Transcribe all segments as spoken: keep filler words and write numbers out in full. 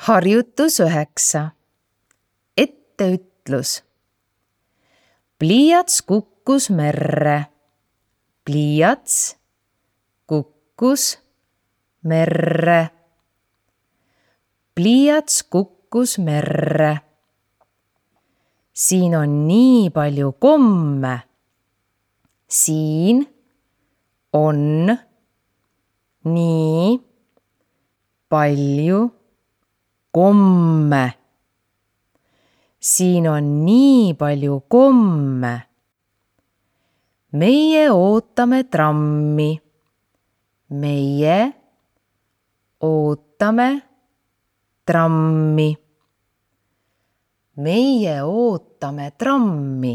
Harjutus üheksa. Etteütlus. Pliiats kukkus merre. Pliiats kukkus merre. Pliiats kukkus merre. Siin on nii palju komme. Siin on nii palju komme. Siin on nii palju komme. Meie ootame trammi. Meie ootame trammi. Meie ootame trammi.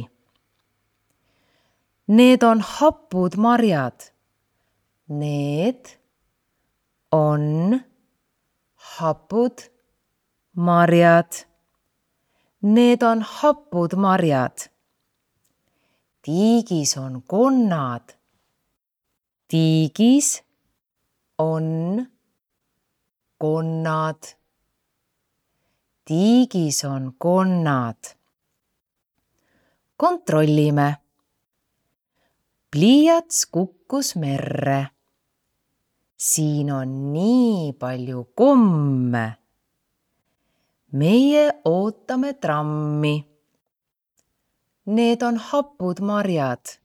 Need on hapud marjad. Need on hapud marjad. Need on hapud marjad. Tiigis on konnad. Tiigis on konnad. Tiigis on konnad. Kontrollime. Pliiats kukkus merre. Siin on nii palju komme. Meie ootame trammi. Need on hapud marjad.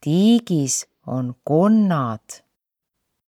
Tiigis on konnad.